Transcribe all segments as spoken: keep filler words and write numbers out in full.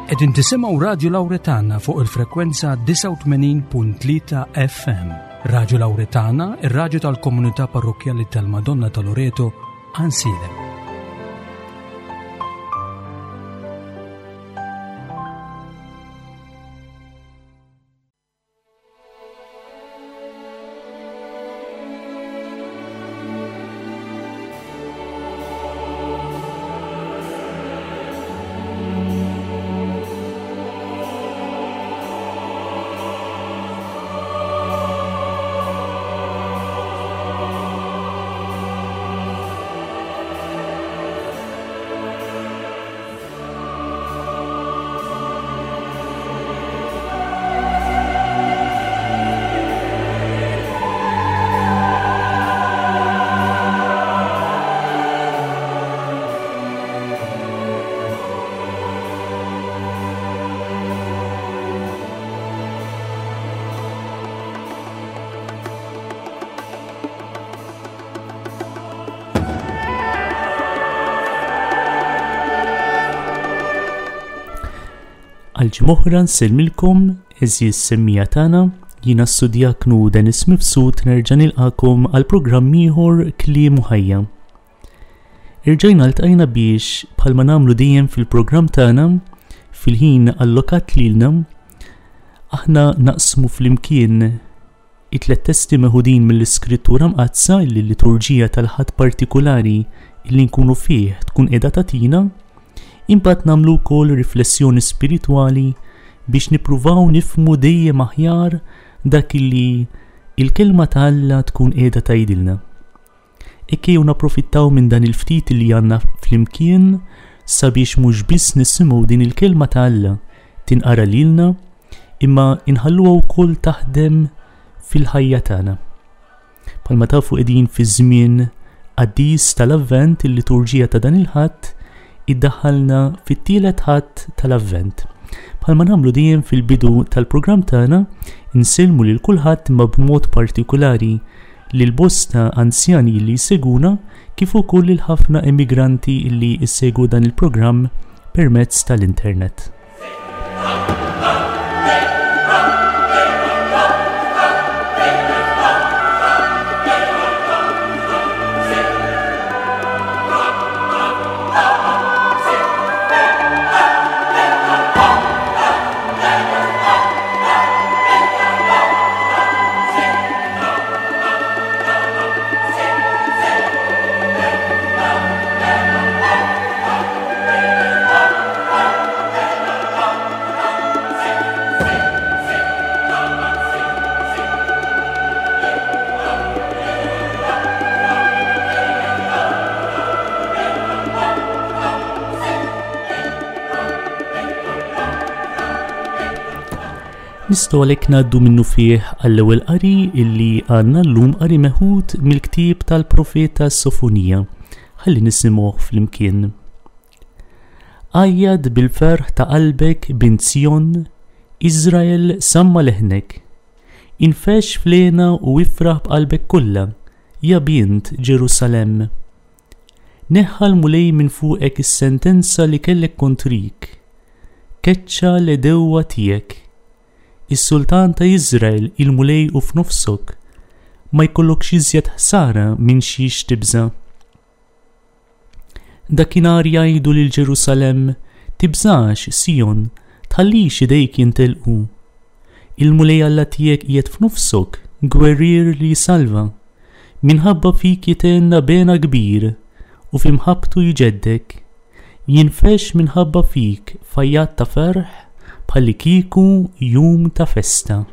Qegħdin tisimgħu Radio Lauretana fuq il-frekwenza disgħa u tmenin punt tlieta F M. Radio Lauretana, ir-radju tal-Komunità Parrokkjali tal-Madonna ta' Loreto, Għajnsielem. Għal-ġimgħa nsellmilkom, għeżież semmija tagħna, jiena s-sudjaknu Dennis Mifsud nerġa' nilqakom għal programm ieħor Kliem u Ħajja. Irġajna ltqajna biex bħalma nagħmlu dejjem fil-programm tagħna fil-ħin allokat lilna, aħna naqsmu flimkien it-tliet testi meħudin mill-Iskrittura Mqaddsa li l-liturġija tal-Ħadd partikulari li nkunu fih tkun qiegħda tagħtina. Imbagħad nagħmlu wkoll riflessjoni spiritwali biex nippruvaw nifhmu dejjem aħjar dak li il-kelma ta' Alla tkun qiegħda tgħidilna. Hekk ejjew napprofittaw minn dan il-ftit li għandna flimkien sabiex mhux biss nisimgħu din il-kelma ta' Alla tinqara lilna, imma inħalluha wkoll taħdem fil-ħajja tagħna. Bħalma tafu qegħdin fi żmien qaddis tal-Avvent, il-liturġija ta' dan il-Ħadd iddaħħalna fit-tielet Ħadd tal-Avvent. Bħalma nagħmlu dejjem fil-bidu tal-programm tagħna, insellmu lil kulħadd imma b'mod partikulari lil bosta anzjani li jseguna kif ukoll lil ħafna immigranti li jsegwu dan il-programm permezz tal-internet. Nistgħu għalhekk ngħaddu minnu fih għall-ewwel qari illi għandna llum, qari meħud mill-ktieb tal-profeta Sofonija. Ħalli nisimgħuh flimkien. Għajjad bil-ferħ ta' qalbek bint Sion, Iżrael samma leħnek. Infex flena u ifraħ b'qalbek kollha, ja bint Ġerusalemm. Neħħa l-Mulej minn fuqek is-sentenza li kellek kontrik. Keċċa l-edewwa tiegħek. Is-sultan ta' Iżrael il-Mulej u f'nofsok, ma jkollokx iżjed ħsara minn xiex tibża'. Dakinhar jgħidu lil Ġerusalemm, tibżax, Sion, tħallix idejk jintelqu. Il-Mulej Alla tiegħek qiegħed f'nofsok, gwerrier li jsalva. Minħabba fik jitenna bena kbir u f'imħabbtu jġeddek. Jinfex minħabba fik fajjat ta' ferħ bħalli kieku jum ta' festa.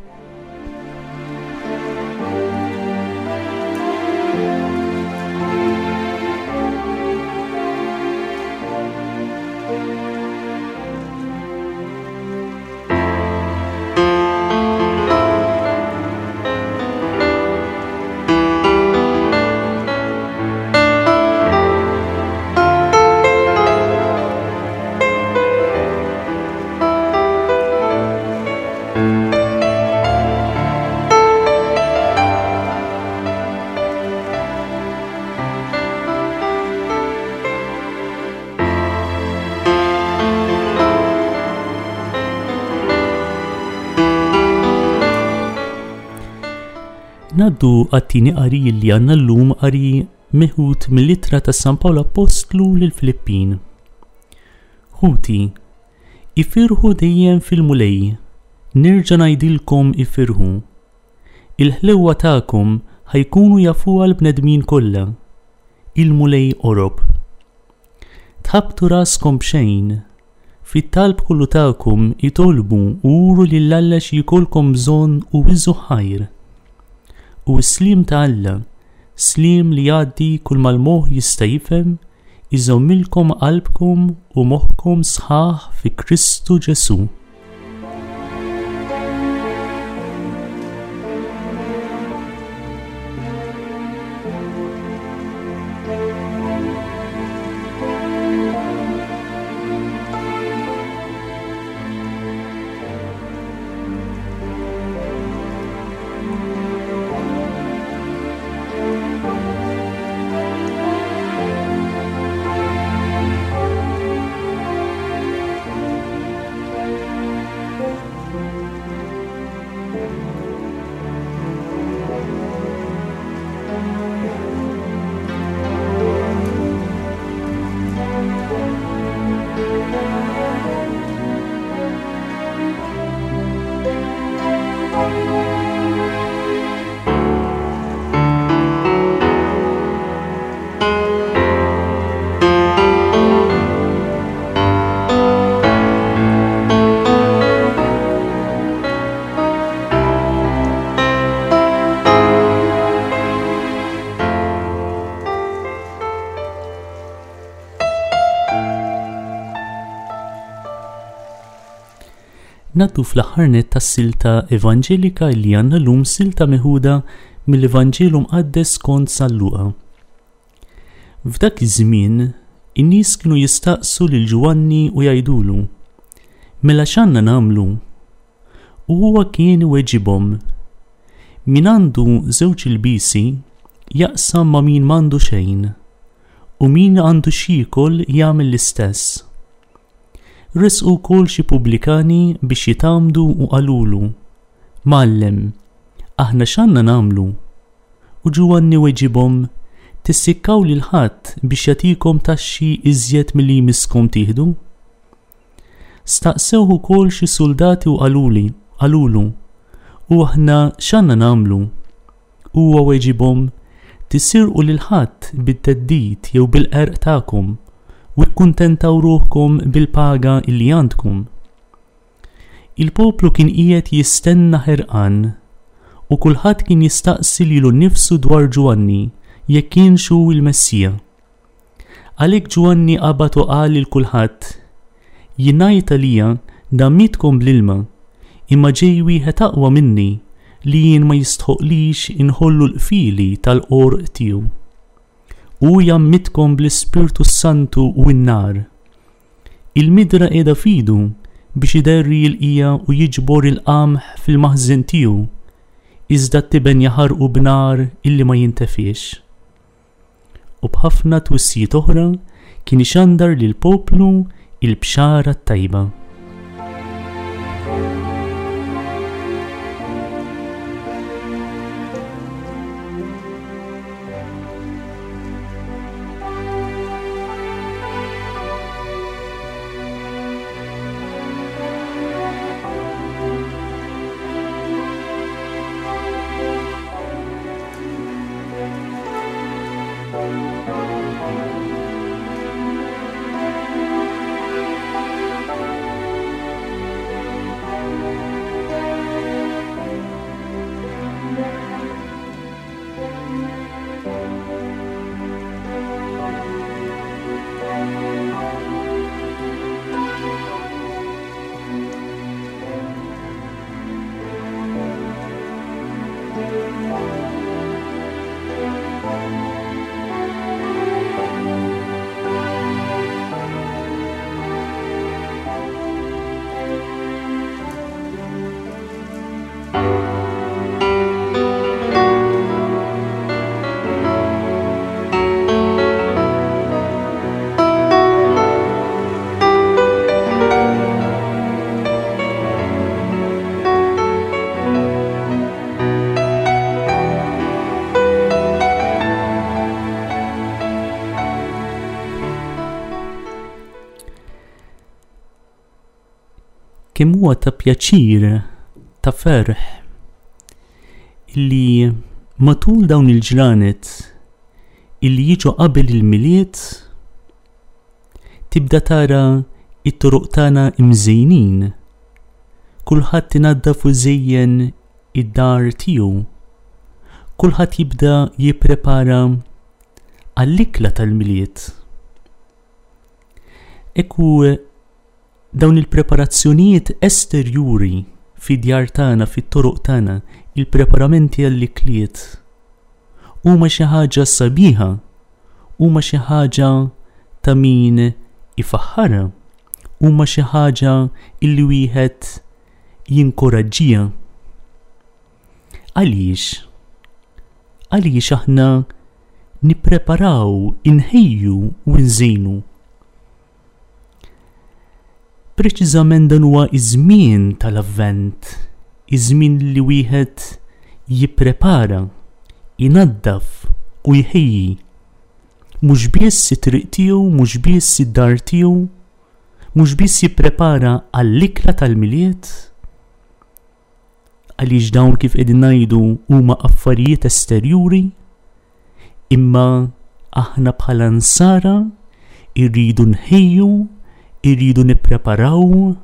Ngħaddu għat-tieni qari li għandna llum, qari meħud mill-ittra ta' San Pawl Appostlu lill-Filippin. Ħuti, ifirħu dejjem fil-Mulej, nerġa' ngħidilkom ifirħu. Il-ħlewwa tagħkom ħajkunu jafuha l-bnedmin kollha. Il-Mulej qorob. Tħabbtu raskom b'xejn. Fit-talb kollu tagħkom itolbu u uru lil Alla xi jkollkom bżonn u iżu ħajr. U s-sliem ta' Alla, sliem li jgħaddi kull mal-moħħ jista' jifhem, iżommilkom qalbkom u moħħkom sħaħ fi Kristu Ġesù. Naddu fl-aħħar nett tas-silta evanġelika li għandna llum, silta meħuda mill-Evanġelu Mqaddes skont San Luqa. F'dak iż-żmien, in-nies kienu jistaqsu lil Ġwanni u jgħidulu, Mela x'għandna nagħmlu? U huwa kien iweġibhom, Min għandu żewġ ilbisi jaqsam ma' min m'għandu xejn, u min għandu x'jiekol jagħmel l-istess. Resqu wkoll xi pubblikani biex jitgħammdu u qalulu, Mgħallem, aħna x'għandna nagħmlu? U Ġwanni weġibhom, Tissikkaw lil ħadd biex jagħtikom taxxi iżjed milli jmisskom tieħdu? Staqsewh ukoll xi soldati u qaluli, qalulu, U aħna x'għandna nagħmlu? Huwa weġibhom, Tisirqu lil ħadd bit-theddid jew bil-qerq tagħkom, u kkuntentaw ruħkom bil-paga illi għandkom. Il-poplu kien qiegħed jistenna ħerqan, u kulħadd kien jistaqsi lilu nnifsu dwar Ġwanni jekk kienx hu l-Messija. Għalhekk Ġwanni qabad u qal lil kulħadd, Jien ngħid għalija ngħammidkom bl-ilma, imma ġej wieħed aqwa minni li jien ma jistħoqlix inħollu l-qfieli tal-qorq tiegħu. U jgħammidkom bl-Ispirtu Santu u n-nar. Il-midra qiegħda f'idu biex iderri l-qija u jiġbor il-qamħ fil-maħżen tiegħu, iżda t-tiben jaħarqu b'nar illi ma jintefiex. U b'ħafna twissijiet oħra kien ixandar lill-poplu il-bxara t-tajba. Kemm huwa ta' pjaċir, ta' ferħ illi matul dawn il-ġranet illi jiġu qabel il-Milied tibda tara it-toroq tagħna imżejnin. Kulħadd inaddaf u żejjen id-dar tiegħu. Kulħadd jibda jipprepara għall-ikla tal-Milied. Ekku dawn il-preparazzjonijiet esterjuri fid-djar tagħna, fit-toroq tagħna, il-preparamenti għall-ikliet huma xi ħaġa sabiħa, huma xi ħaġa ta' min ifaħħarha, huma xi ħaġa illi wieħed jinkoraġġiha. Għaliex? Għaliex aħna nippreparaw, inħejju u nżejnu? Preċiżament dan huwa iż-żmien tal-Avvent, iż-żmien li wieħed jipprepara, inaddaf u jħejji. Mhux biss it-triq tiegħu, mhux biss id-dar tiegħu, mhux biss jipprepara għall-ikla tal-Milied, għaliex dawn kif qegħdin ngħidu huma affarijiet esterjuri, imma aħna bħala nsara irridu nħejju, irridu nippreparaw,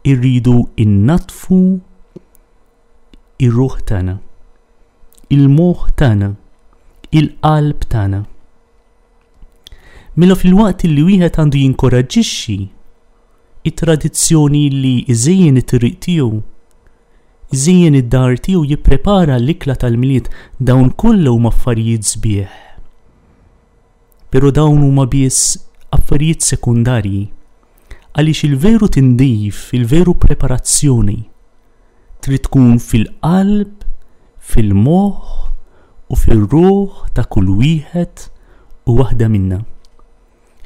irridu innaddfu ir-ruħ tagħna, il-moħħ tagħna, il-qalb tagħna. Mela filwaqt li wieħed għandu jinkoraġġixxi it-tradizzjoni li iżejjen it-triq tiegħu, iżejjen id-dar tiegħu, jipprepara l-ikla tal-Milied, dawn kollha huma affarijiet sbieħ. Però dawn huma biss affarijiet sekundarji, għaliex il-veru tindif, il-veru preparazzjoni trid tkun fil-qalb, fil-moħħ u fir-ruħ ta' kull wieħed u waħda minna.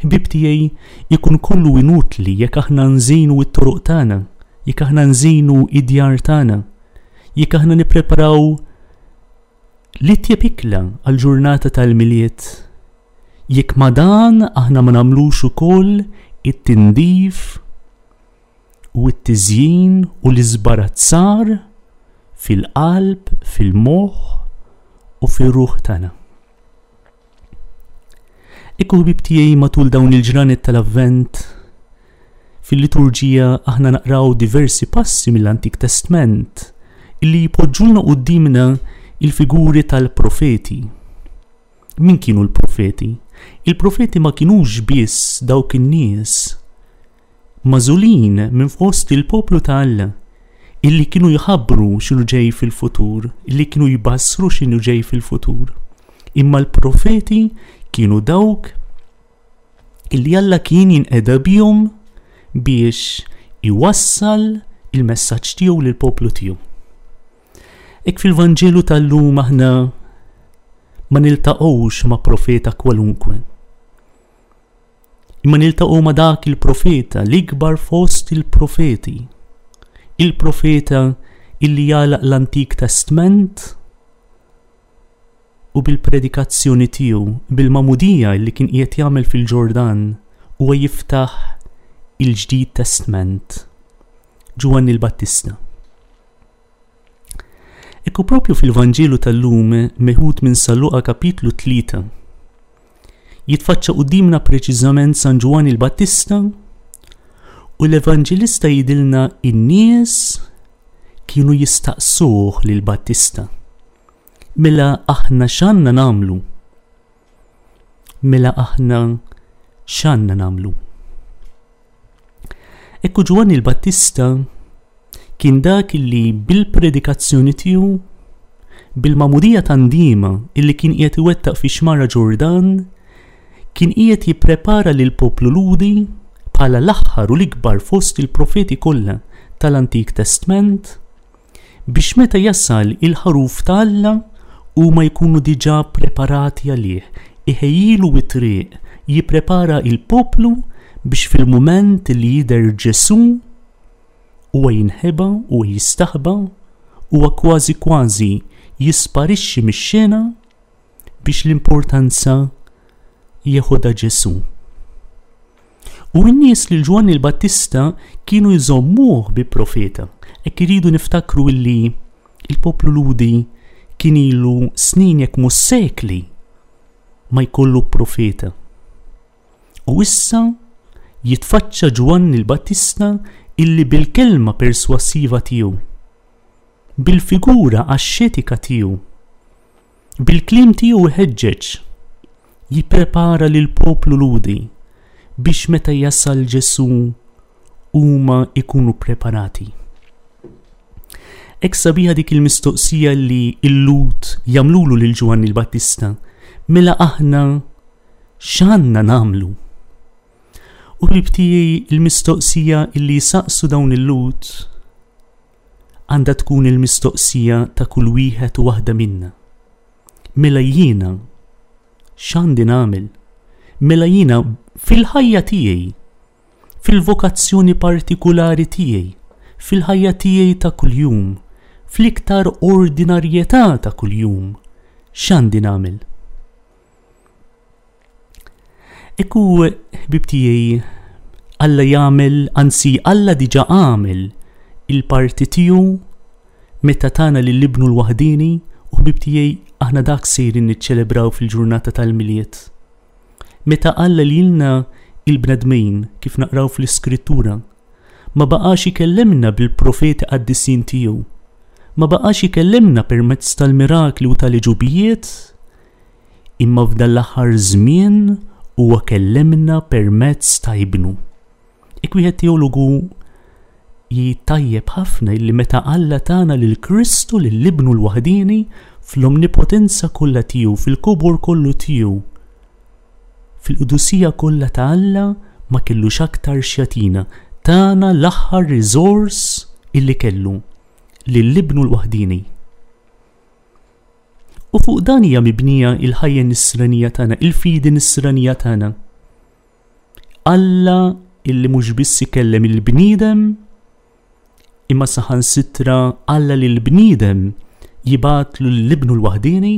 Ħbieb tiegħi, ikun kollu inutli jekk aħna nżejnu t-toroq tagħna, jekk aħna nżejnu id-djar tagħna, jekk aħna nippreparaw l-itjeb ikla għall-ġurnata tal-Milied, jekk ma dan aħna ma nagħmlux ukoll it-tindif u t-tiżjin u l-iżbarazzar fil-qalb, fil-moħħ u fir-ruħ tagħna. Ekku ħbieb tiegħi, matul dawn il-ġranet tal-Avvent, fil-liturġija aħna naqraw diversi passi mill-Antik Testament illi jpoġġulna quddiemna il-figuri tal-profeti. Min kienu l-profeti? Il-profeti ma kinux biss dawk in-nies magħżulin minn fost il-poplu ta' Alla illi kienu jħabbru x'inhu ġej fil-futur, illi kienu jbassru x'inhu ġej fil-futur. Imma l-profeti kienu dawk illi Alla kien jinqeda bihom biex iwassal il-messaġġ tiegħu lill-poplu tiegħu. Hekk fil-Vanġelu tal-lum aħna ma niltaqgħux ma' profeta kwalunkwe, imma niltaqgħu ma' dak il-profeta, l-ikbar fost il-profeti, il-profeta illi jagħlaq l-Antik Testament u bil-predikazzjoni tiegħu, bil-magħmudija illi kien qiegħed jagħmel fil-Ġordan, huwa jiftaħ il-Ġdid Testament, Ġwanni l-Battista. Ekku propju fil-Vanġelu tal-lum meħud minn San Luqa kapitlu tlieta, jitfaċċa quddiemna preċiżament San Ġwanni l-Battista u l-Evanġelista jidilna in-nies kienu jistaqsuh lil Battista. Mela aħna x'għandna nagħmlu? Mela aħna x'għandna nagħmlu? Ekku Ġwanni l-Battista kien dak illi bil-predikazzjoni tiegħu, bil-magħmudija ta' ndiema illi kien qiegħed iwettaq fi xmara Ġordan, kien qiegħed jipprepara lil poplu Lhudi bħala l-aħħar u l-ikbar fost il-profeti kollha tal-Antik Testament, biex meta jasal il-ħaruf ta' Alla huma jkunu diġà preparati għalih, iħejjilu it-triq, jipprepara il-poplu biex fil-mument li jidher Ġesù huwa jinħeba u jistaħba, huwa kważi kważi jisparixxi mix-xena biex l-importanza jeħodha Ġesù. U n-nies lil Ġwanni l-Battista kienu jżommuh bi profeta. Hekk iridu niftakru illi il-poplu Lhudi kien ilu snin jekk mhux sekli ma jkollu profeta. U issa jitfaċċa Ġwanni l-Battista illi bil-kelma perswassiva tiegħu, bil-figura axxetika tiegħu, bil-kliem tiegħu iħeġġeġ, jipprepara lill-poplu Lhudi biex meta jasal Ġesù huma ikunu preparati. Hekk sabiħa dik il-mistoqsija li l-Lhud jagħmlulu lil Ġwanni l-Battista, mela aħna x'għandna nagħmlu? U ħbieb tiegħi, il-mistoqsija illi saqsu dawn il-Lhud għandha tkun il-mistoqsija ta' kull wieħed u waħda minna. Mela jiena x'għandi nagħmel? Mela jiena fil-ħajja tiegħi, fil-vokazzjoni partikulari tiegħi, fil-ħajja tiegħi ta' kuljum, fl-iktar ordinarjetà ta' kuljum, x'għandi nagħmel? Ekku, ħbieb tiegħi, Alla jagħmel, anzi Alla diġà għamel il-parti tiegħu meta tana lil ibnu l-waħdini, u ħbieb tiegħi aħna dak sejrin niċċelebraw fil-ġurnata tal-Milied. Meta Alla lilna il-bnedmin, kif naqraw fl-Iskrittura, ma baqax ikellimna bil-profeti qaddisin tiegħu, ma baqax ikellimna permezz tal-mirakli u tal-ġubijiet, imma f'dan l-aħħar żmien huwa kellimna permezz ta' ibnu. Ek wieħed teologu jitajjeb ħafna illi meta Alla tana lil Kristu, lil ibnu l-waħdini, fl-omnipotenza kollha tiegħu, fil-kobor kollu tiegħu, fil-qdusija kollha ta' Alla, ma kellux aktar x'jagħtina, tana l-aħħar riżors illi kellu, lil ibnu l-waħdini. U fuq dan hija mibnija il-ħajja nisranija tagħna, il-fidi nisranija tagħna. Alla illi mhux biss ikellem il-bniedem, imma saħansitra Alla lil bniedem jibgħatlu l-ibnu l-waħdini,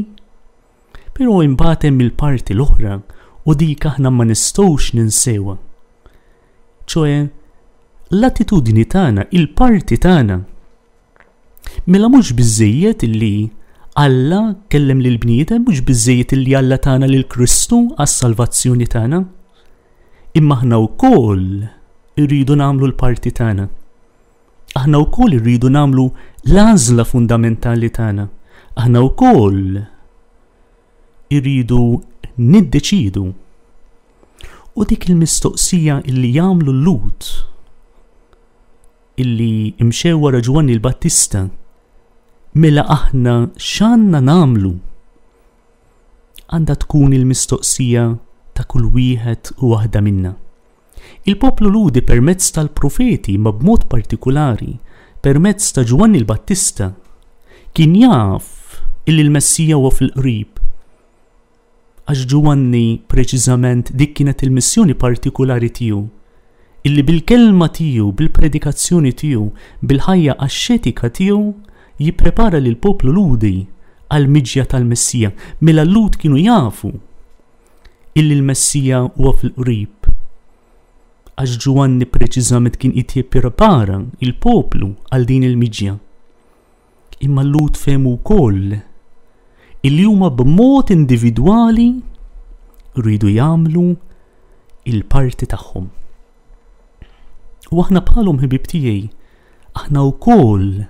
però imbagħad hemm il-parti l-oħra u dik aħna ma nistgħux ninsewha. Ċoe l-attitudni tagħna, il-parti tagħna. Mela mhux biżżejjed illi Alla kellem lil bniedem, mhux biżżejjed illi Alla tagħna lil Kristu għas-salvazzjoni tagħna, imma aħna wkoll irridu nagħmlu l-parti tagħna. Aħna wkoll irridu nagħmlu l-għażla fundamentali tagħna. Aħna wkoll irridu niddeċidu. U dik il-mistoqsija illi jagħmlu l-Lhud illi imxew wara Ġwanni l-Battista, mela aħna x'għandna nagħmlu? Għandha tkun il-mistoqsija ta' kull wieħed u waħda minna. Il-poplu Lhudi permezz tal-profeti, ma b'mod partikulari permezz ta' Ġwanni l-Battista, kien jaf illi l-Messija huwa fil-qrib. Għax Ġwanni preċiżament dik kienet il-missjoni partikulari tiegħu, illi bil-kelma tiegħu, bil-predikazzjoni tiegħu, bil-ħajja axxetika tiegħu jipprepara lil poplu Lhudi għal-miġja tal-Messija. Mela l-Lhud kienu jafu illi l-Messija huwa fil-qrib. Għax Ġwanni preċiżament kien qed jipprepara il-poplu għal din il-miġja. Imma l-Lhud fehmu wkoll illi huma b'mod individwali rridu jagħmlu il-parti tagħhom. U aħna bħalhom ħbieb tiegħi, aħna wkoll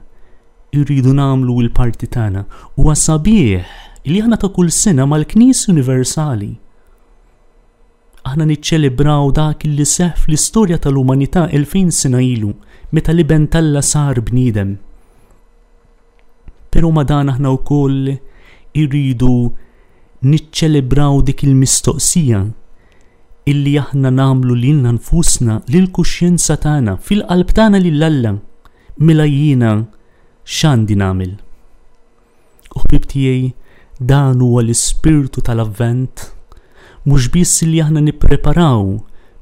irridu nagħmlu l-parti tagħna. Huwa sabiħ li aħna ta' kull sena mal-Knisja Universali aħna niċċelebraw dak li seħħ fl-istorja tal-umanità elfejn sena ilu, meta l-Iben t'Alla sar bniedem. Però ma dan aħna wkoll irridu niċċelebraw dik il-mistoqsija illi aħna nagħmlu lilna nfusna, lill-kuxjenza tagħna, fil-qalb tagħna lil Alla, mela jiena x'għandi nagħmel? U ħbieb tiegħi, dan huwa l-ispirtu tal-Avvent, mhux biss li aħna nippreparaw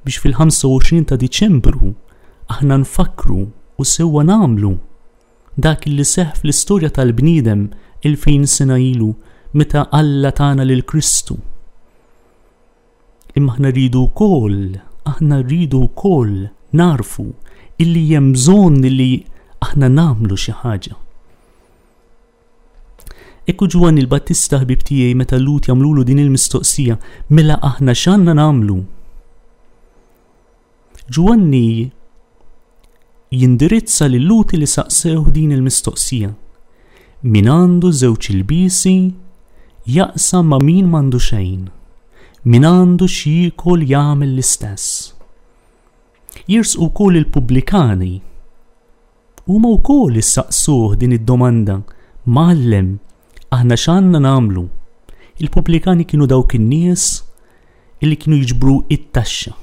biex fil-ħamsa u għoxrin ta' Diċembru aħna nfakru u sewwa nagħmlu dak li seħħ fl-istorja tal-bniedem elfejn sena ilu meta Alla tana lil Kristu. Imma aħna rridu wkoll, Aħna rridu wkoll narfu illi hemm bżonn li aħna nagħmlu xi ħaġa. Ekku Ġwanni l-Battista, ħbib tiegħi, meta l-Lhud jagħmlulu din il-mistoqsija, mela aħna x'għandna nagħmlu? Ġwanni jindirizza lil-Lhud li saqsew din il-mistoqsija. Min għandu żewġ ilbiesi jaqsam ma' min m'għandu xejn. Min għandu x'jiekol jagħmel l-istess. Jersqu wkoll il-pubblikani. Huma wkoll issaqsuh din id-domanda, Mgħallem, aħna x'għandna nagħmlu? Il-pubblikani kienu dawk in-nies illi kienu jiġbru it-taxxa.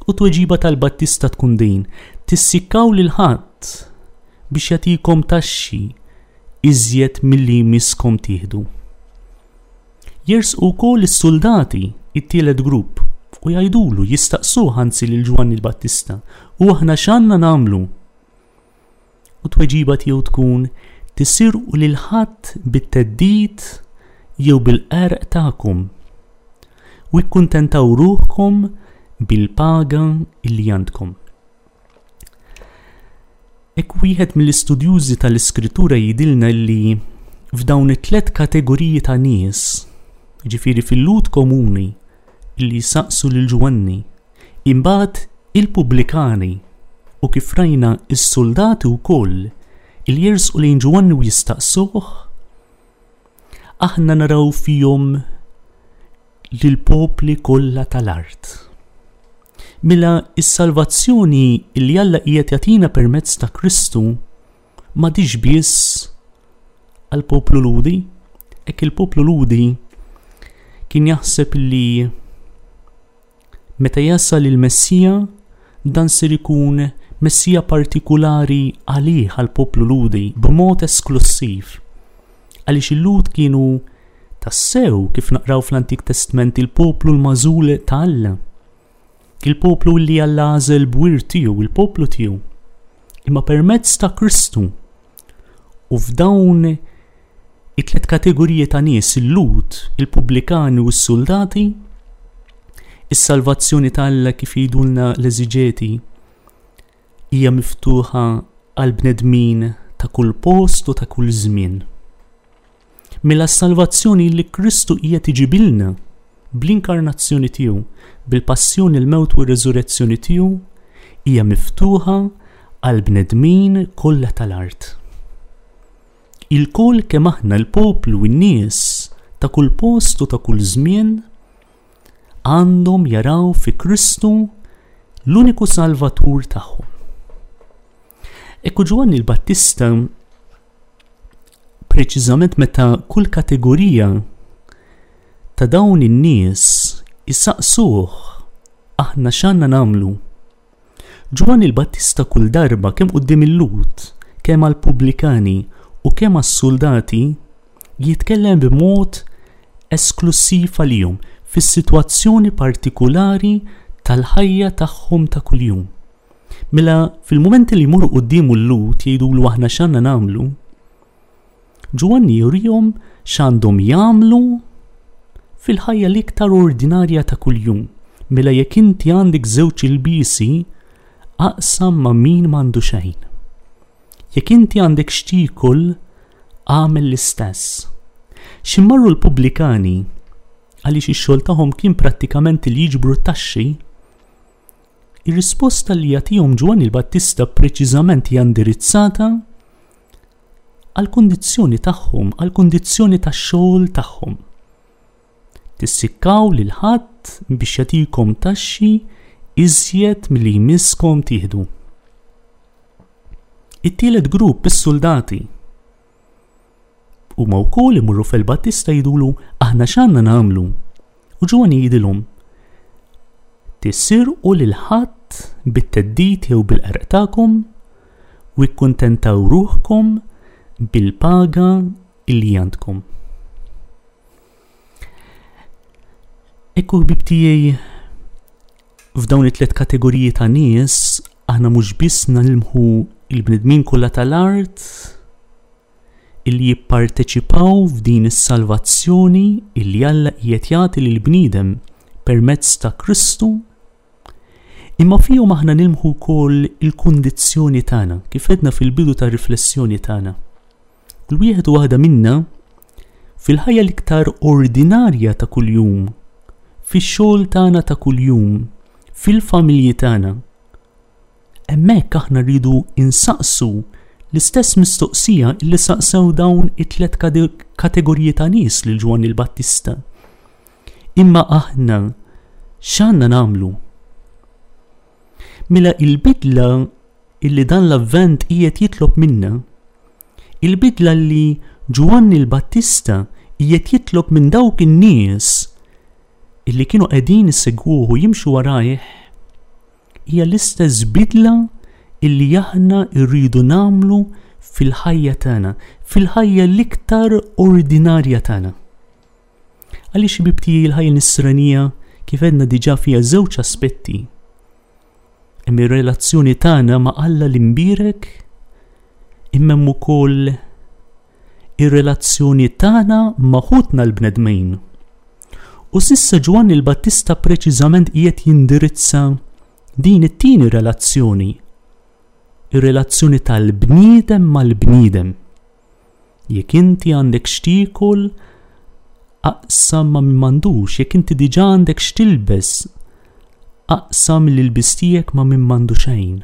U tweġiba tal-Battista tkun din, tissikkaw lil ħadd biex jagħtikom taxxi iżjed milli jmisskom tieħdu. Jersqu wkoll is-soldati, it-tielet grupp, u jgħidulu, jistaqsuh anzi lil Ġwanni l-Battista, u aħna x'għandna nagħmlu? U tweġiba tiegħu tkun, tisirqu lil ħadd bit-theddid jew bil-qerq tagħkom u ikkuntentaw ruħkom bil-paga illi għandkom. Hekk wieħed mill-istudjużi tal-Iskrittura jgħidilna li f'dawn it-tliet kategoriji ta' nies, ġifieri fil-Lhud komuni illi saqsu lil Ġwanni, imbagħad il-pubblikani u kif rajna is-soldati wkoll il jersqu lejn Ġwanni u jistaqsuh, aħna naraw fihom lill-popli kollha tal-art. Mela is-salvazzjoni li Alla qiegħed jagħtina permezz ta' Kristu m'għadix biss għall-poplu Lhudi. Hekk il-poplu Lhudi kien jaħseb li meta jasal il-Messija dan ser ikun Messija partikulari għalih għall-poplu Lhudi b'mod esklussiv. Għaliex il-Lhud kienu tassew, kif naqraw fl-Antik Testament, il-poplu l-magħżul ta' Alla. Il-poplu li Alla għażel b'wirt tiegħu, il-poplu tiegħu. Imma permezz ta' Kristu u f'dawn it-tliet kategoriji ta' nies, il-Lhud, il-pubblikani u s-soldati, is-salvazzjoni ta' Alla kif jgħidulna l-eżiġeti hija miftuħa għal bnedmin ta' kull post u ta' kull żmien. Mela s-salvazzjoni li Kristu qiegħed iġibilna bl-inkarnazzjoni tiegħu, bil-passjoni, il-mewt u r-reżurrezzjoni tiegħu, hija miftuħa għal bnedmin kollha tal-art. Il-koll kemm aħna l-poplu u n-nies ta' kull post u ta' kull żmien għandhom jaraw fi Kristu l-uniku salvatur tagħhom. Ekku Ġwanni l-Battista preċiżament meta kull kategorija ta' dawn in-nies isaqsuh aħna x'għandna nagħmlu, Ġwanni l-Battista kull darba kemm quddiem il-Lhud, kemm għall-pubblikani u kemm għas-soldati jitkellem b'mod esklussiv għalihom fis-sitwazzjoni partikulari tal-ħajja tagħhom ta' kuljum. Mela fil-mumenti li jmorru quddiemu l-Lhud jgħidulu aħna x'għandna nagħmlu, Ġwanni jurihom x'għandhom jagħmlu fil-ħajja l-iktar ordinarja ta' kuljum. Mela jekk inti għandek żewġ ilbiesi, aqsam ma' min m'għandu xejn. Jekk inti għandek x'tiekol, agħmel l-istess. X'immarru l-pubblikani, għaliex ix-xogħol tagħhom kien prattikament li jiġbru t-taxxi, ir-risposta li jagħtihom Ġwanni l-Battista preċiżament hija indirizzata għall-kundizzjoni tagħhom, għall-kundizzjoni tax-xogħol tagħhom. Tissikkaw lil ħadd biex jagħtikom taxxi iżjed milli jmisskom tieħdu. It-tielet grupp, is-soldati, huma wkoll imorru fil-Battista jgħidulu aħna x'għandna nagħmlu. U Ġwanni jgħidilhom tisirqu lil ħadd bit-theddid jew bil-qerq tagħkom u ikkuntentaw ruħkom bil-paga illi għandkom. Ekku ħbib tiegħi, f'dawn it-tliet kategoriji ta' nies aħna mhux biss nilmħu il-bnedmin kollha tal-art illi jipparteċipaw f'din is-salvazzjoni illi Alla qiegħed jagħti lill-bniedem permezz ta' Kristu, Imma fihom aħna nilmħu wkoll il-kundizzjoni tagħna, kif għedna fil-bidu tar-riflessjoni tagħna. Kull wieħed u waħda minna fil-ħajja l-iktar ordinarja ta' kuljum, fix-xogħol tagħna ta' kuljum, fil-familji tagħna. Hemmhekk aħna rridu insaqsu l-istess mistoqsija li saqsew dawn it-tlet kategoriji ta' nies lil Ġwanni l-Battista. Imma aħna x'għandna nagħmlu? Mela il-bidla illi dan l-avvent qiegħed jitlob minna, il-bidla li Ġwanni l-Battista qiegħed jitlob minn dawk in-nies illi kienu qegħdin isegwuh u jimxu warajh, hija l-istess bidla illi aħna rridu nagħmlu fil-ħajja tagħna, fil-ħajja l-iktar ordinarja tagħna. Għaliex ħbieb tiegħi l-ħajja nisranija kif għedna diġà fiha żewġ aspetti. Hemm ir-relazzjoni tagħna ma' Alla l-imbierek, imma hemm ukoll ir-relazzjoni tagħna ma' ħutna l-bnedmin. U s'issa Ġwanni l-Battista preċiżament qiegħed jindirizza din it-tieni relazzjoni, ir-relazzjoni tal-bniedem mal-bniedem. Jekk inti għandek x'tiekol, aqsam ma' min m'għandux, jekk inti diġà għandek x'tilbes, aqsam l-ilbis tiegħek ma' min m'għandu xejn.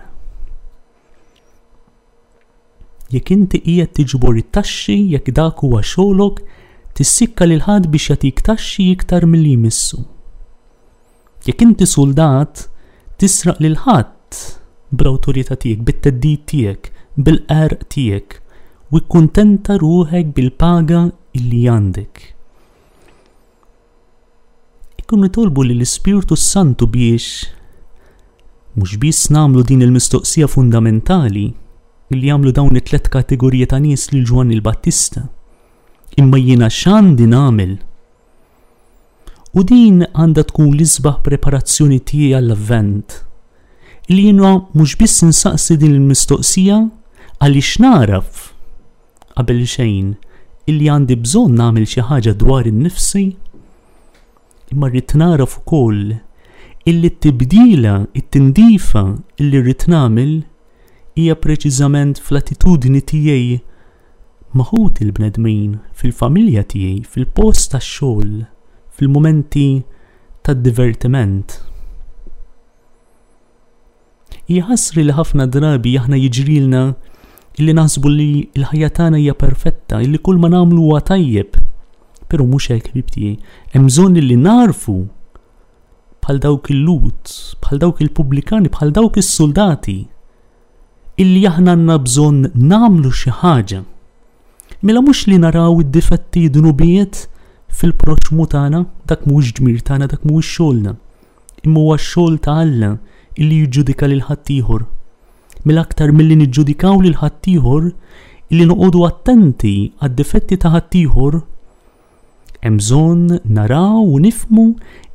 Jekk inti qiegħed tiġbor it-taxxi, jekk dak huwa xogħlok, tissikka lil ħadd biex jagħtik taxxi iktar milli jmissu. Jekk inti soldat, tisraq lil ħadd bl-awtorità tiegħek, bit-theddid tiegħek, bil-qerq tiegħek, u kkuntenta ruħek bil-paga illi għandek. Ikun nitolbu lill-Ispirtu Santu biex mhux biss nagħmlu din il-mistoqsija fundamentali illi jagħmlu dawn it-tlet kategoriji ta' nies lil Ġwanni l-Battista, imma jiena x'għandi nagħmel? U din għandha tkun l-isbaħ preparazzjoni tiegħi għall-avvent, illi jiena mhux biss insaqsi din il-mistoqsija għaliex naraf qabel xejn illi għandi bżonn nagħmel xi ħaġa dwar innifsi, imma rrid naraf ukoll illi t-tibdila, it-tindifa illi rrid nagħmel hija preċiżament fl-attitudni tiegħi ma' ħuti l-bnedmin, fil-familja tiegħi, fil-post tax-xogħol, fil-mumenti tad-divertiment. Hija ħasri li ħafna drabi aħna jiġrilna illi naħsbu li l-ħajja tagħna hija perfetta, illi kull ma nagħmlu huwa tajjeb. Però mhux hekk, ħbieb tiegħi. Hemm bżonn li narfu bħal dawk il-Lhud, bħal dawk il-pubblikani, bħal dawk is-soldati, illi aħna għandna bżonn nagħmlu xi ħaġa. Mela mhux li naraw id-difetti dnubiet fil-proxmu tagħna, dak mhuwiex ġmir tagħna, dak mhuwiex xogħolna. Imma huwa x-xogħol ta' Alla illi jiġġudika lil ħaddieħor. Mela aktar milli niġġudikaw lil ħaddieħor, illi noqogħdu attenti għad-difetti ta' ħaddieħor, hemm bżonn naraw u nifhmu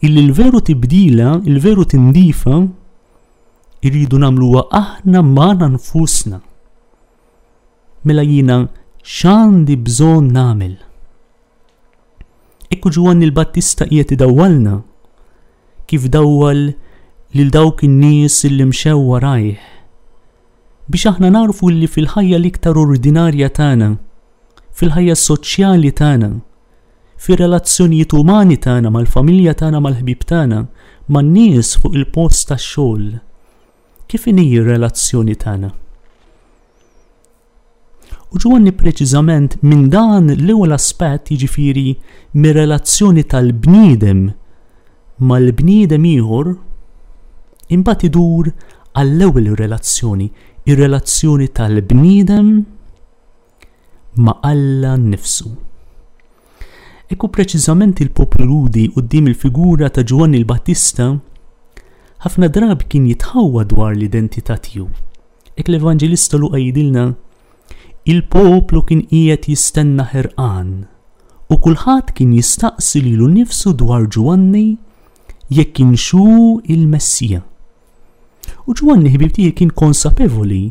illi l-veru tibdila, il-veru tindifa, irridu nagħmluha aħna magħna nfusna. Mela jiena x'għandi bżonn nagħmel? Ekku Ġwanni l-Battista qiegħed idawwalna kif dawwal lil dawk in-nies illi mxew warajh, biex aħna narfu li fil-ħajja l-iktar ordinarja tagħna, fil-ħajja soċjali tagħna, fir-relazzjonijiet umani tagħna mal-familja tagħna, mal-ħbieb tagħna, man-nies fuq il-post tax-xogħol, kif inhi r-relazzjoni tagħna? U Ġwanni preċiżament minn dan l-ewwel aspett, jiġifieri mir-relazzjoni tal-bniedem mal-bniedem ieħor, imbagħad idur għall-ewwel relazzjoni, ir-relazzjoni tal-bniedem ma' Alla nnifsu. Ekku preċiżament il-poplu Lhudi quddiem il-figura ta' Ġwanni l-Battista ħafna drabi kien jitħawwa dwar l-identità tiegħu. Hekk l-Evanġelista Luqa jgħidilna, il-poplu kien qiegħed jistenna ħerqan u kulħadd kien jistaqsi lilu nnifsu dwar Ġwanni jekk kienx hu il-Messija. U Ġwanni ħbieb tiegħi kien konsapevoli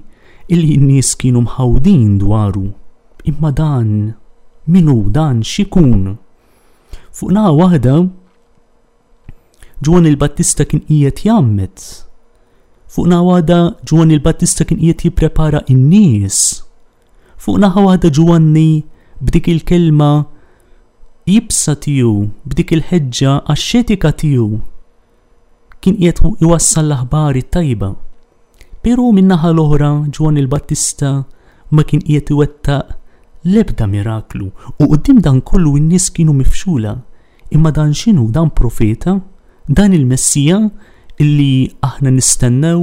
illi n-nies kienu mħawdin dwaru. Imma dan min hu, dan x'ikun? Fuq naħa waħda Ġwanni l-Battista kien qiegħed jgħammed Fuq naħa waħda Ġwanni l-Battista kien qiegħed jipprepara n-nies. Fuq naħa waħda Ġwanni b'dik il-kelma iebsa tiegħu, b'dik il-ħeġġa axxetika tiegħu, kien qiegħed iwassal l-aħbar it-tajba. Però min-naħa l-oħra Ġwanni l-Battista ma kien qiegħed iwettaq l-ebda miraklu u quddiem dan kollu n-nies kienu mifxula. Imma dan x'inhu? Dan profeta? Dan il-Messija illi aħna nistennew?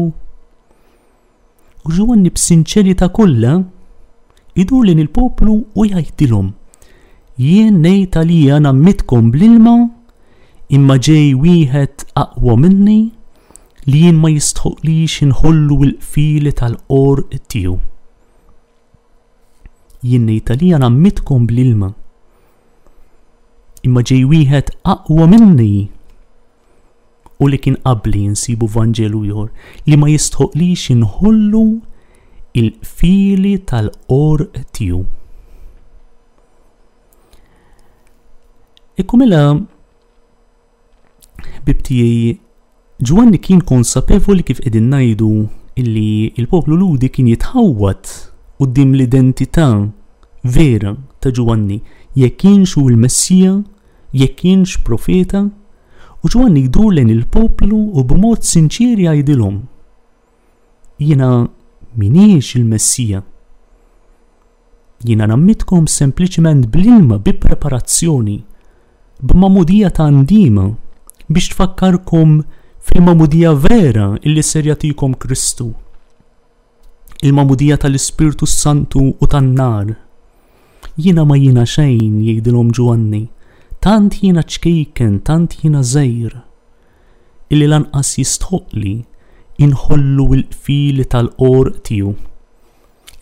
U Ġwanni b'sinċerità kollha idur lejn il-poplu u jgħidilhom: jien ngħid għalija ngħammidkom bl-ilma, imma ġej wieħed aqwa minni li jien ma jistħoqlix inħollu l-qfieli tal-qorq tiegħu. Jien ngħid għalija ngħammidkom bl-ilma, imma ġej wieħed aqwa minni u li kien qabli, nsibu Vanġelu ieħor, li ma jistħoqlix inħollu il-qfieli tal-qorq tiegħu. Ekku mela, ħbib tiegħi, Ġwanni kien konsapevoli kif qegħdin ngħidu illi il-poplu Lhudi kien jitħawwad quddiem l-identità vera ta' Ġwanni, jekk kienx hu l-Messija, jekk kienx profeta, u Ġwanni jdur lejn il-poplu u b'mod sinċir jgħidilhom: jiena m'iniex il-Messija. Jiena ngħammidkom sempliċement bl-ilma, bi preparazzjoni, b'magħmudija ta' ndima, biex tfakkarkom fil-magħmudija vera illi ser jagħtikom Kristu, il-magħmudija tal-Ispirtu Santu u tan-nar. Jiena ma jiena xejn, jgħidilhom Ġwanni, tant jiena ċkejken, tant jiena żgħir, illi lanqas jistħoqli inħollu l-qfieli tal-qorq tiegħu.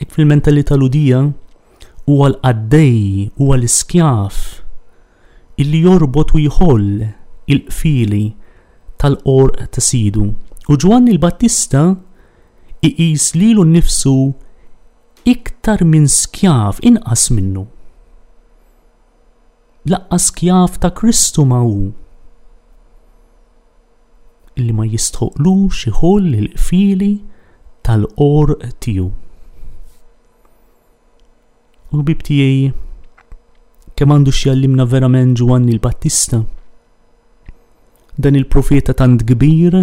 Hekk fil-mentalità Lhudija huwa l-qaddej, huwa l-iskjav illi jorbot u jħoll il-qfieli tal-qorq ta' sidu. U Ġwanni l-Battista iqis lilu nnifsu iktar minn skjav, inqas minnu. Laqqas skjav ta' Kristu ma hu, illi ma jistħoqlux iħoll il-qfieli tal-qorq tiegħu. U ħbib tiegħi, kemm għandu x'jgħallimna verament Ġwanni l-Battista, dan il-profeta tant kbir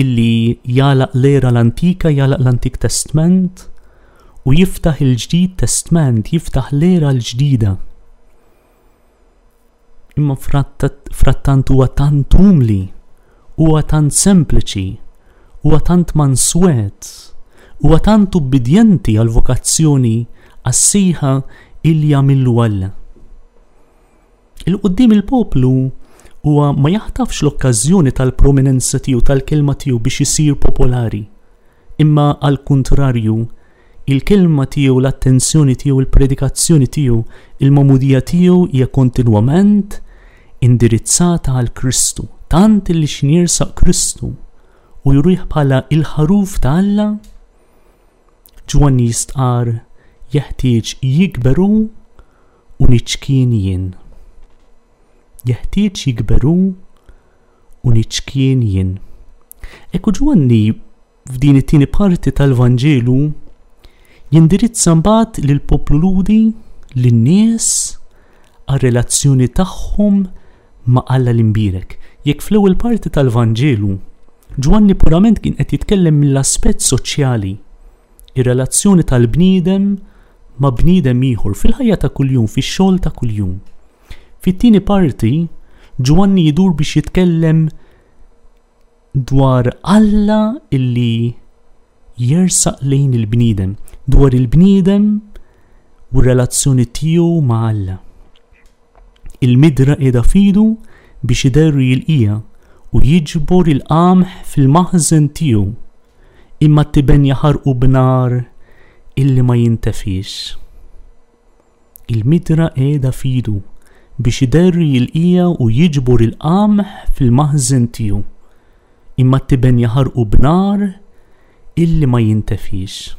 illi jagħlaq l-era l-antika, jagħlaq l-Antik Testament u jiftaħ il-Ġdid Testament, jiftaħ l-era l-ġdida. Imma frattant huwa tant umli, huwa tant sempliċi, huwa tant manswet, huwa tant ubbidjenti għal-vokazzjoni, għas-sejħa illi jagħmillu Alla. Il-qudiem il-poplu huwa ma jaħtafx l-okkażjoni tal-prominenza tiegħu, tal-kelma tiegħu biex isir popolari, imma għal-kuntrarju, il-kelma tiegħu, l-attenzjoni tiegħu, il-predikazzjoni tiegħu, il-magħmudija tiegħu hija kontinwament indirizzata għal Kristu, tant illi x'in jirsaq Kristu u jurih bħala il-ħaruf ta' Alla. Ġwanni jistqar jeħtieġ jikberu u niċkien jien. Jeħtieġ jikberu u niċkien jien. Ekku Ġwanni f'din it-tieni parti tal-Vanġelu jindirizza mbagħad lill-poplu Lhudi, lin-nies, għar-relazzjoni tagħhom ma' Alla l-Imbierek. Jekk fl-ewwel parti tal-Vanġelu Ġwanni purament kien qed jitkellem mill-aspett soċjali, ir-relazzjoni tal-bniedem ma' bniedem ieħor fil-ħajja ta' kuljum, fix-xogħol ta' kuljum. Fit-tieni parti Ġwanni jidur biex jitkellem dwar Alla illi jersaq lejn il-bniedem, dwar il-bniedem u r-relazzjoni tiegħu ma' Alla. Il-midra qiegħda fidu biex iderri l-qija u jiġbor il-qamħ fil-maħżen tiegħu, imma t-tiben jaħarqu b'nar illi ma jintefix. Il-midra qiegħda fidu biex iderri l-qija u jiġbor il-qamħ fil-maħżen tiegħu, imma t-tiben jaħarqu b'nar illi ma jintefix.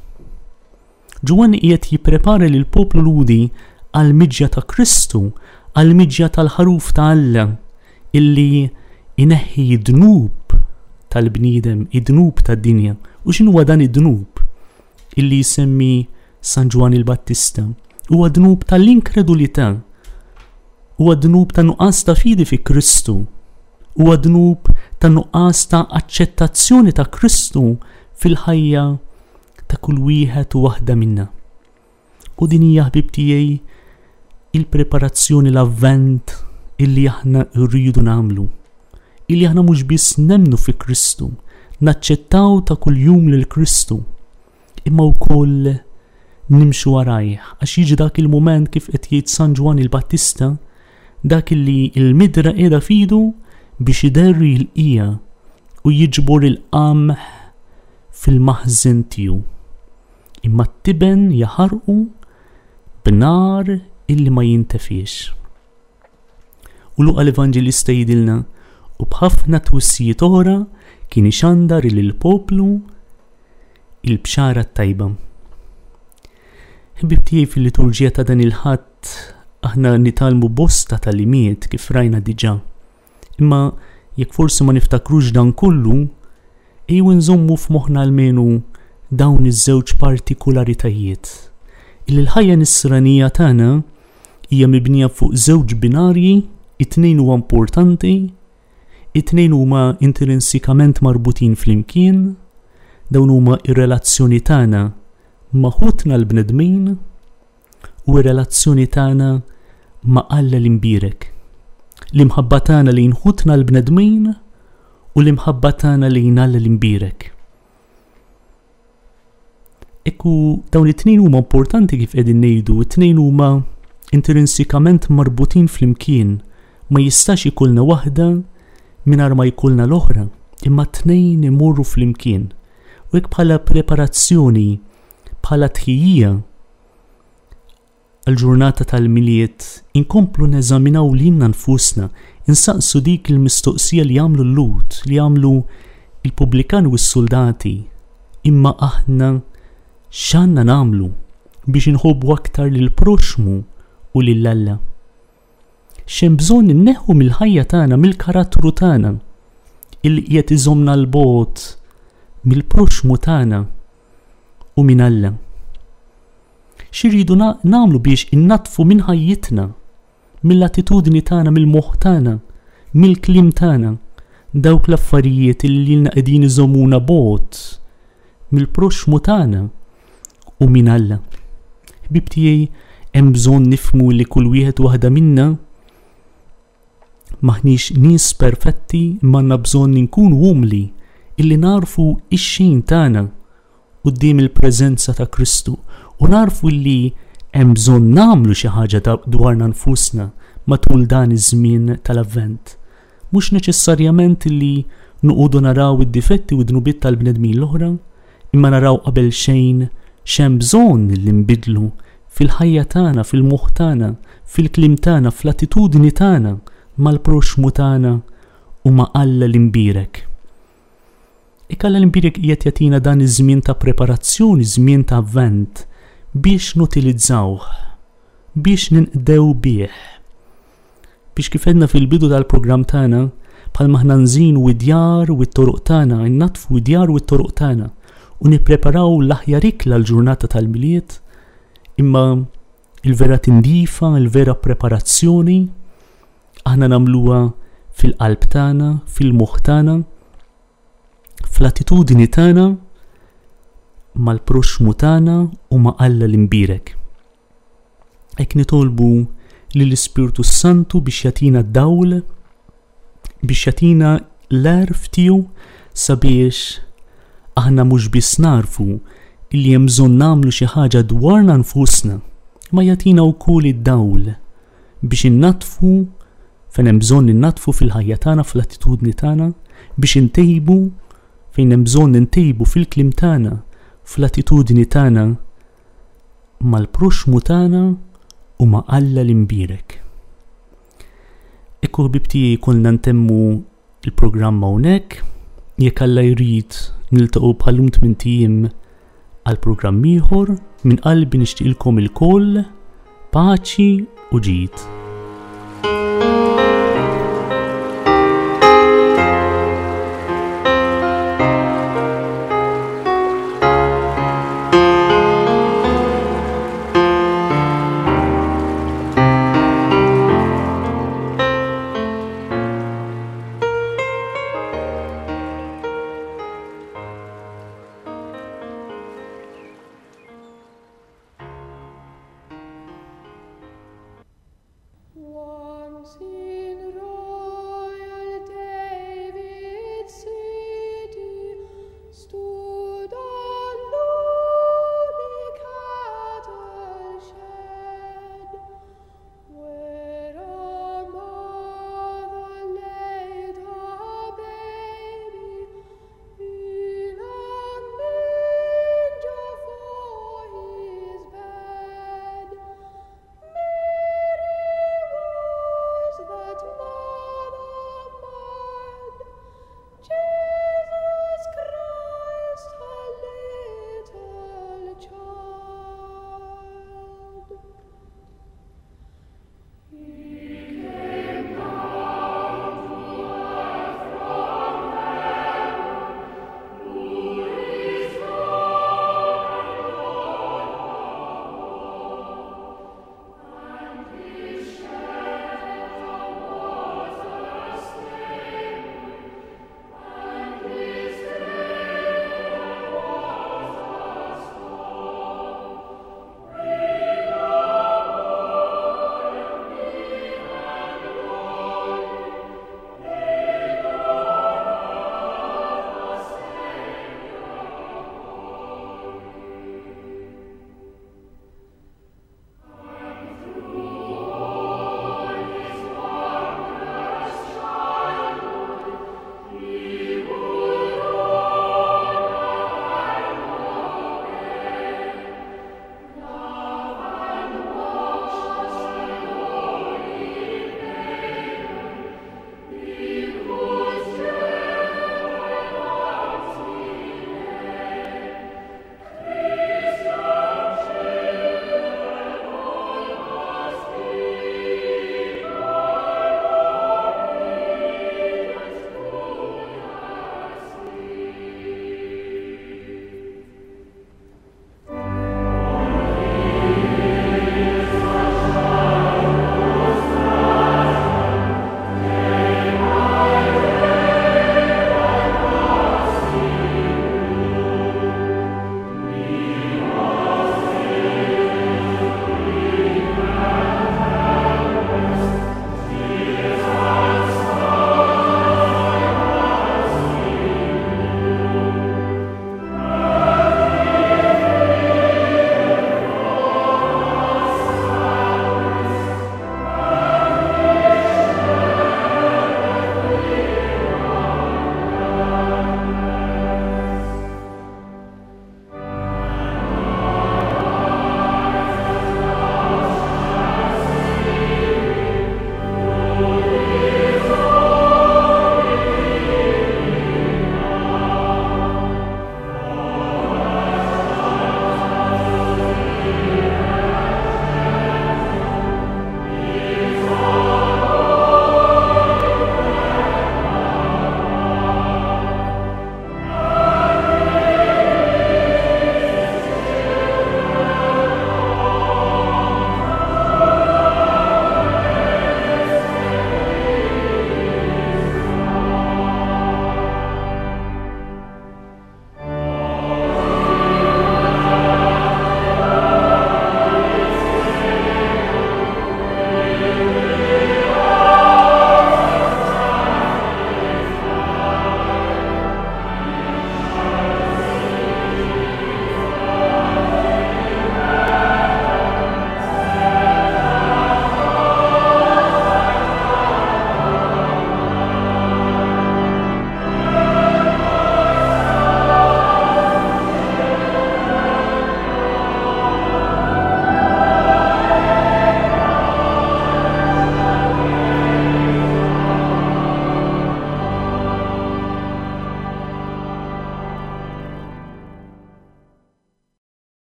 Ġwanni qiegħed jipprepara lil poplu Lhudi għall-miġja ta' Kristu, għall-miġja tal-ħaruf ta' Alla illi ineħħi d-dnub tal-bniedem, id-dnub tad-dinja. U x'inhuwa dan id-dnub illi jsemmi San Ġwann il-Battista? Huwa dnub tal-inkredulità, huwa dnub ta' nuqqas ta' fidi fi Kristu, huwa dnub ta' nuqqas ta' aċċettazzjoni ta' Kristu fil-ħajja ta' kull wieħed u waħda minna. U din hija, ħbib tiegħi, il-preparazzjoni, l-avvent illi aħna rridu nagħmlu. Illi aħna mhux biss nemmnu fi Kristu, naċċettaw ta' kuljum lil Kristu, imma wkoll nimxu warajh, għax jiġi dak il-mument kif qed jgħid San Ġwann il-Battista, dak illi il-midra qiegħda f'idu biex iderri l-qija u jiġbor il-qamħ fil-maħżen tiegħu. Imma t-tiben jaħarqu b'nar illi ma jintefiex. U Luqa l-Evanġelista jgħidilna, u b'ħafna twissijiet oħra kien ixandar lill-poplu il-bxara t-tajba. Ħbib tiegħi, fil-liturġija ta' dan il-Ħadd aħna nitgħallmu bosta tagħlimiet kif rajna diġà. Imma jekk forsi ma niftakrux dan kollu, ejjew nżommu f'moħħna almenu dawn iż-żewġ partikularitajiet. Illi l-ħajja nisranija tagħna hija mibnija fuq żewġ binarji, it-tnejn huwa importanti, it-tnejn huma intrinsikament marbutin flimkien, dawn huma ir-relazzjoni tagħna ma' ħutna l-bnedmin u r-relazzjoni tagħna ma' Alla l-imbierek. L-imħabba tagħna lejn ħutna l-bnedmin u l-imħabba tagħna lejn Alla l-imbierek. Ekku dawn it-tnejn huma importanti kif qegħdin ngħidu, it-tnejn huma intrinsikament marbutin flimkien, ma jistax ikollna waħda mingħajr ma jkollna l-oħra, imma t-tnejn imorru flimkien. U hekk bħala preparazzjoni, bħala tħejjija għal-ġurnata tal-Milied, inkomplu neżaminaw lilna nfusna, insaqsu dik il-mistoqsija li għamlu l-Lhud, li għamlu il-pubblikani u s-soldati, imma aħna x'għandna nagħmlu biex inħobbu aktar lil proxmu u lil Alla? X'hemm bżonn inneħħu mill-ħajja tagħna, mill-karattru tagħna, illi qiegħed iżommna 'l bogħod mill-proxmu tagħna u minn Alla? X'irridu nagħmlu biex innaddfu minn ħajjitna, mill-attitudni tagħna, mill-moħħ tagħna, mill-kliem tagħna, dawk l-affarijiet li lilna qegħdin iżommuna bogħod mill-proxmu tagħna u minn Alla? Ħbib tiegħi, hemm bżonn nifhmu li kull wieħed waħda minna maħniex nies perfetti, imma għandna bżonn inkunu umli illi narfu ix-xejn tagħna quddiem il-preżenza ta' Kristu u narfu li hemm bżonn nagħmlu xi ħaġa dwarna nfusna matul dan iż-żmien tal-Avvent. Mhux neċessarjament li noqogħdu naraw id-difetti u d-dnubiet tal-bnedmin l-oħra, imma naraw qabel xejn x'hemm bżonn li nbidlu fil-ħajja tagħna, fil-moħħ tagħna, fil-kliem tagħna, fl-attitudni tagħna mal-proxmu tagħna u ma' Alla l-imbierek. Jekk Alla l-imbierek qiegħed jagħtina dan iż-żmien ta' preparazzjoni, żmien ta' Avvent, biex nutilizzawh, biex ninqdew bih. Biex kif għedna fil-bidu tal-programm tagħna, bħalma aħna nżinu id-djar u t-toroq tagħna, nnaddfu id-djar u t-toroq tagħna u nippreparaw l-aħjar ikla l-ġurnata tal-Milied, imma il-vera tindifa, il-vera preparazzjoni, aħna nagħmluha fil-qalb tagħna, fil-moħħ tagħna, fl-attitudni tagħna mal-proxmu tagħna u ma' Alla l-imbierek. Hekk nitolbu lill-Ispirtu Santu biex jagħtina d-dawl, biex jagħtina l-għerf tiegħu sabiex aħna mhux biss narfu illi hemm bżonn nagħmlu xi ħaġa dwarna nfusna, ma jagħtina wkoll id-dawl biex innaddfu fejn hemm bżonn innaddfu fil-ħajja tagħna, fl-attitudni tagħna, biex intejbu fejn hemm bżonn intejbu fil-kliem tagħna, fl-attitudni tagħna mal-proxmu tagħna u ma' Alla l-imbierek. Ekku ħbib tiegħi, konna ntemmu il-programm hawnhekk, jekk Alla jrid niltaqgħu bħal-lum tmint ijiem għal programm ieħor. Minn qalbi nixtieqilkom ilkoll paċi u ġid.